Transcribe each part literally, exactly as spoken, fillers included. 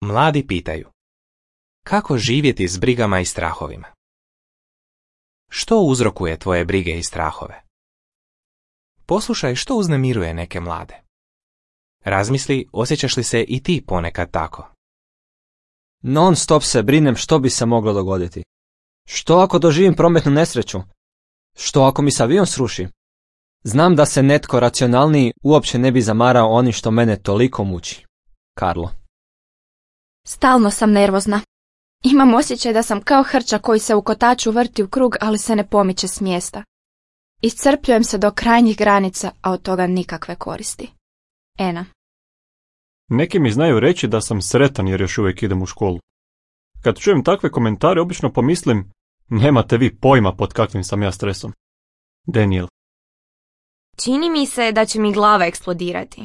Mladi pitaju: kako živjeti s brigama i strahovima? Što uzrokuje tvoje brige i strahove? Poslušaj što uznemiruje neke mlade. Razmisli, osjećaš li se i ti ponekad tako? Non stop se brinem što bi se moglo dogoditi. Što ako doživim prometnu nesreću? Što ako mi se avion sruši? Znam da se netko racionalniji uopće ne bi zamarao onim što mene toliko muči. Karlo. Stalno sam nervozna. Imam osjećaj da sam kao hrča koji se u kotaču vrti u krug, ali se ne pomiče s mjesta. Iscrpljujem se do krajnjih granica, a od toga nikakve koristi. Ena. Neki mi znaju reći da sam sretan jer još uvijek idem u školu. Kad čujem takve komentare, obično pomislim, nemate vi pojma pod kakvim sam ja stresom. Daniel. Čini mi se da će mi glava eksplodirati.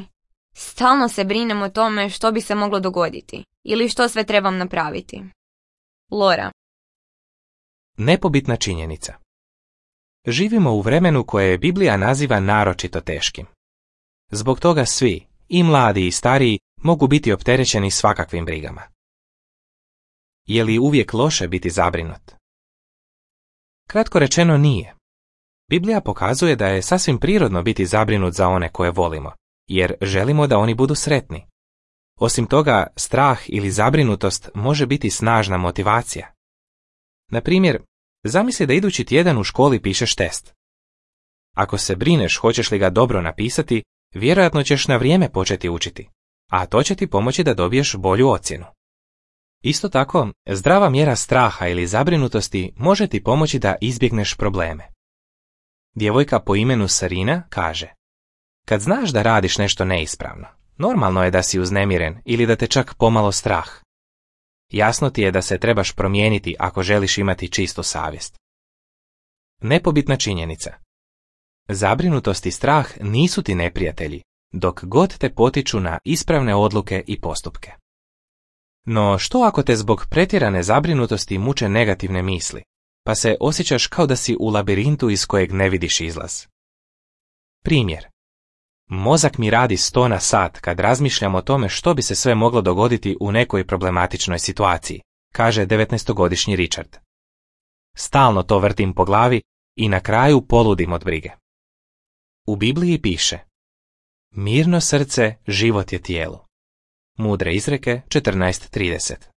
Stalno se brinem o tome što bi se moglo dogoditi ili što sve trebam napraviti. Lora. Nepobitna činjenica. Živimo u vremenu koje Biblija naziva naročito teškim. Zbog toga svi, i mladi i stariji, mogu biti opterećeni svakakvim brigama. Je li uvijek loše biti zabrinut? Kratko rečeno nije. Biblija pokazuje da je sasvim prirodno biti zabrinut za one koje volimo, jer želimo da oni budu sretni. Osim toga, strah ili zabrinutost može biti snažna motivacija. Na primjer, zamisli da idući tjedan u školi pišeš test. Ako se brineš hoćeš li ga dobro napisati, vjerojatno ćeš na vrijeme početi učiti, a to će ti pomoći da dobiješ bolju ocjenu. Isto tako, zdrava mjera straha ili zabrinutosti može ti pomoći da izbjegneš probleme. Djevojka po imenu Sarina kaže: kad znaš da radiš nešto neispravno, normalno je da si uznemiren ili da te čak pomalo strah. Jasno ti je da se trebaš promijeniti ako želiš imati čistu savjest. Nepobitna činjenica. Zabrinutost i strah nisu ti neprijatelji, dok god te potiču na ispravne odluke i postupke. No što ako te zbog pretjerane zabrinutosti muče negativne misli, pa se osjećaš kao da si u labirintu iz kojeg ne vidiš izlaz? Primjer. Mozak mi radi sto na sat kad razmišljam o tome što bi se sve moglo dogoditi u nekoj problematičnoj situaciji, kaže devetnaestogodišnji Richard. Stalno to vrtim po glavi i na kraju poludim od brige. U Bibliji piše: mirno srce život je tijelu. Mudre izreke četrnaest trideset.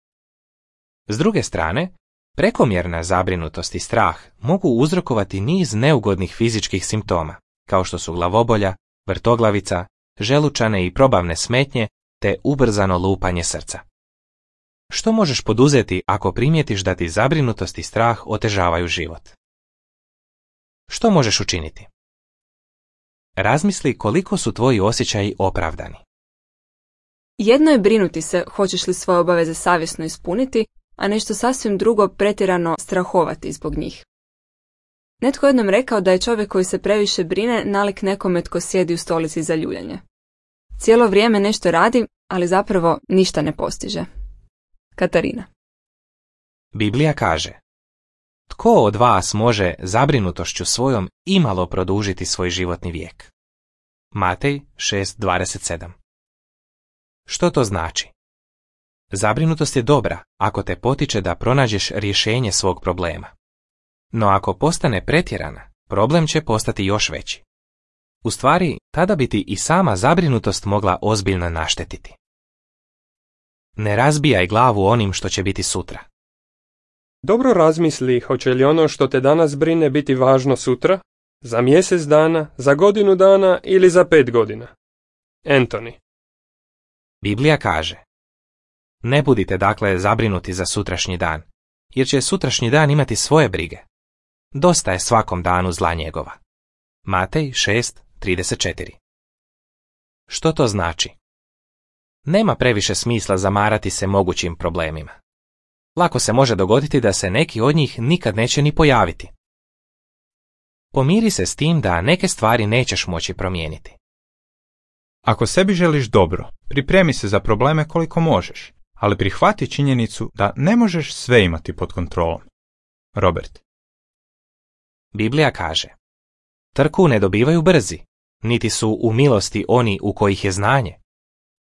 S druge strane, prekomjerna zabrinutost i strah mogu uzrokovati niz neugodnih fizičkih simptoma, kao što su glavobolja, vrtoglavica, želučane i probavne smetnje te ubrzano lupanje srca. Što možeš poduzeti ako primijetiš da ti zabrinutost i strah otežavaju život? Što možeš učiniti? Razmisli koliko su tvoji osjećaji opravdani. Jedno je brinuti se hoćeš li svoje obaveze savjesno ispuniti, a nešto sasvim drugo pretjerano strahovati zbog njih. Netko jednom rekao da je čovjek koji se previše brine nalik nekome tko sjedi u stolici za ljuljanje. Cijelo vrijeme nešto radi, ali zapravo ništa ne postiže. Katarina. Biblija kaže: tko od vas može zabrinutošću svojom imalo produžiti svoj životni vijek? Matej šest dvadeset sedam. Što to znači? Zabrinutost je dobra ako te potiče da pronađeš rješenje svog problema. No ako postane pretjerana, problem će postati još veći. U stvari, tada bi ti i sama zabrinutost mogla ozbiljno naštetiti. Ne razbijaj glavu onim što će biti sutra. Dobro razmisli hoće li ono što te danas brine biti važno sutra, za mjesec dana, za godinu dana ili za pet godina. Anthony. Biblija kaže: ne budite dakle zabrinuti za sutrašnji dan, jer će sutrašnji dan imati svoje brige. Dosta je svakom danu zla njegova. Matej šest trideset četiri. Što to znači? Nema previše smisla zamarati se mogućim problemima. Lako se može dogoditi da se neki od njih nikad neće ni pojaviti. Pomiri se s tim da neke stvari nećeš moći promijeniti. Ako sebi želiš dobro, pripremi se za probleme koliko možeš, ali prihvati činjenicu da ne možeš sve imati pod kontrolom. Robert. Biblija kaže: trku ne dobivaju brzi, niti su u milosti oni u kojih je znanje.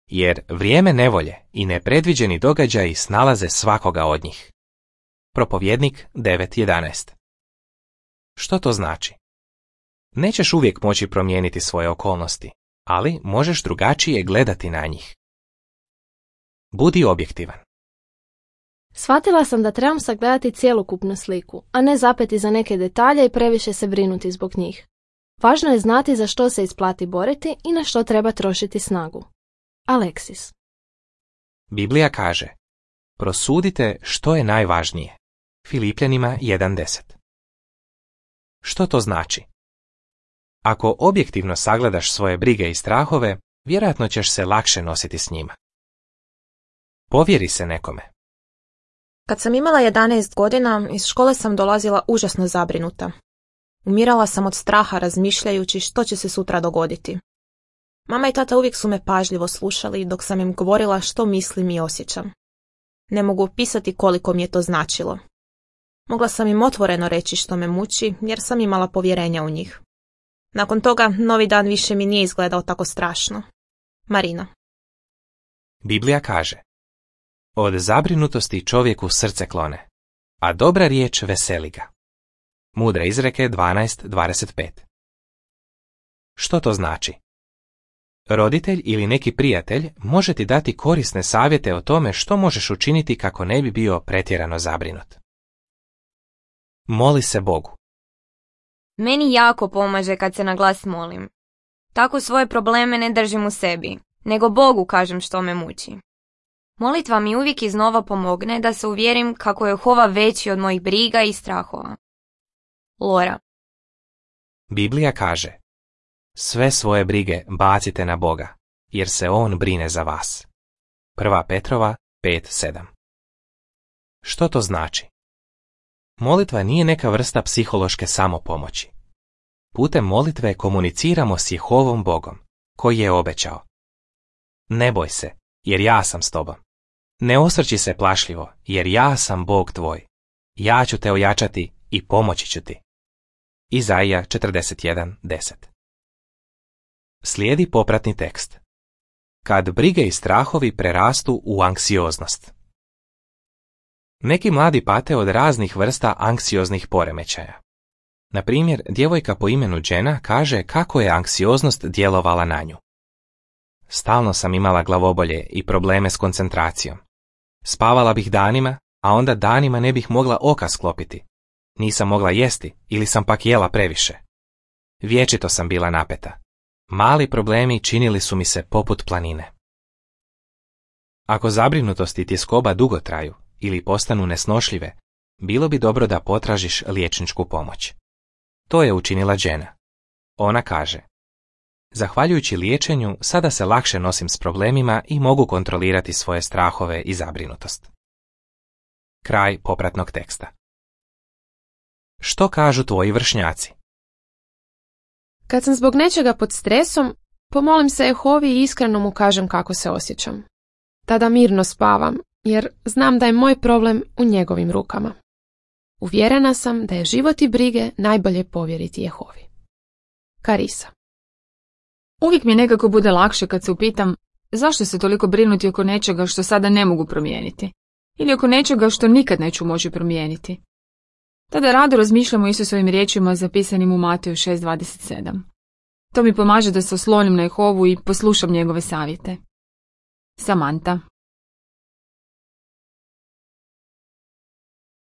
jer vrijeme nevolje i nepredviđeni događaji snalaze svakoga od njih. Propovjednik devet jedanaest. Što to znači? Nećeš uvijek moći promijeniti svoje okolnosti, ali možeš drugačije gledati na njih. Budi objektivan. Shvatila sam da trebam sagledati cjelokupnu sliku, a ne zapeti za neke detalje i previše se brinuti zbog njih. Važno je znati za što se isplati boriti i na što treba trošiti snagu. Aleksis. Biblija kaže: prosudite što je najvažnije. Filipljanima jedan deset. Što to znači? Ako objektivno sagledaš svoje brige i strahove, vjerojatno ćeš se lakše nositi s njima. Povjeri se nekome. Kad sam imala jedanaest godina, iz škole sam dolazila užasno zabrinuta. Umirala sam od straha razmišljajući što će se sutra dogoditi. Mama i tata uvijek su me pažljivo slušali dok sam im govorila što mislim i osjećam. Ne mogu opisati koliko mi je to značilo. Mogla sam im otvoreno reći što me muči jer sam imala povjerenja u njih. Nakon toga, novi dan više mi nije izgledao tako strašno. Marina. Biblija kaže: od zabrinutosti čovjeku srce klone, a dobra riječ veseli ga. Mudre izreke dvanaest dvadeset pet. Što to znači? Roditelj ili neki prijatelj može ti dati korisne savjete o tome što možeš učiniti kako ne bi bio pretjerano zabrinut. Moli se Bogu. Meni jako pomaže kad se na glas molim. Tako svoje probleme ne držim u sebi, nego Bogu kažem što me muči. Molitva mi uvijek iznova pomogne da se uvjerim kako je Jehova veći od mojih briga i strahova. Lora. Biblija kaže: sve svoje brige bacite na Boga, jer se On brine za vas. Prva Petrova pet sedam. Što to znači? Molitva nije neka vrsta psihološke samopomoći. Putem molitve komuniciramo s Jehovom Bogom, koji je obećao: ne boj se, jer ja sam s tobom. Ne osvrći se plašljivo, jer ja sam Bog tvoj. Ja ću te ojačati i pomoći ću ti. Izaija četrdeset jedan deset. Slijedi popratni tekst. Kad brige i strahovi prerastu u anksioznost. Neki mladi pate od raznih vrsta anksioznih poremećaja. Na primjer, djevojka po imenu Jenna kaže kako je anksioznost djelovala na nju. Stalno sam imala glavobolje i probleme s koncentracijom. Spavala bih danima, a onda danima ne bih mogla oka sklopiti. Nisam mogla jesti ili sam pak jela previše. Vječito sam bila napeta. Mali problemi činili su mi se poput planine. Ako zabrinutost i tjeskoba dugo traju ili postanu nesnošljive, bilo bi dobro da potražiš liječničku pomoć. To je učinila Jenna. Ona kaže: zahvaljujući liječenju, sada se lakše nosim s problemima i mogu kontrolirati svoje strahove i zabrinutost. Kraj popratnog teksta. Što kažu tvoji vršnjaci? Kad sam zbog nečega pod stresom, pomolim se Jehovi i iskreno mu kažem kako se osjećam. Tada mirno spavam, jer znam da je moj problem u njegovim rukama. Uvjerena sam da je život i brige najbolje povjeriti Jehovi. Karisa. Uvijek mi nekako bude lakše kad se upitam zašto se toliko brinuti oko nečega što sada ne mogu promijeniti. Ili oko nečega što nikad neću moći promijeniti. Tada rado razmišljam o Isusovim riječima zapisanim u Mateju šest dvadeset sedam. To mi pomaže da se oslonim na Jehovu i poslušam njegove savjete. Samanta.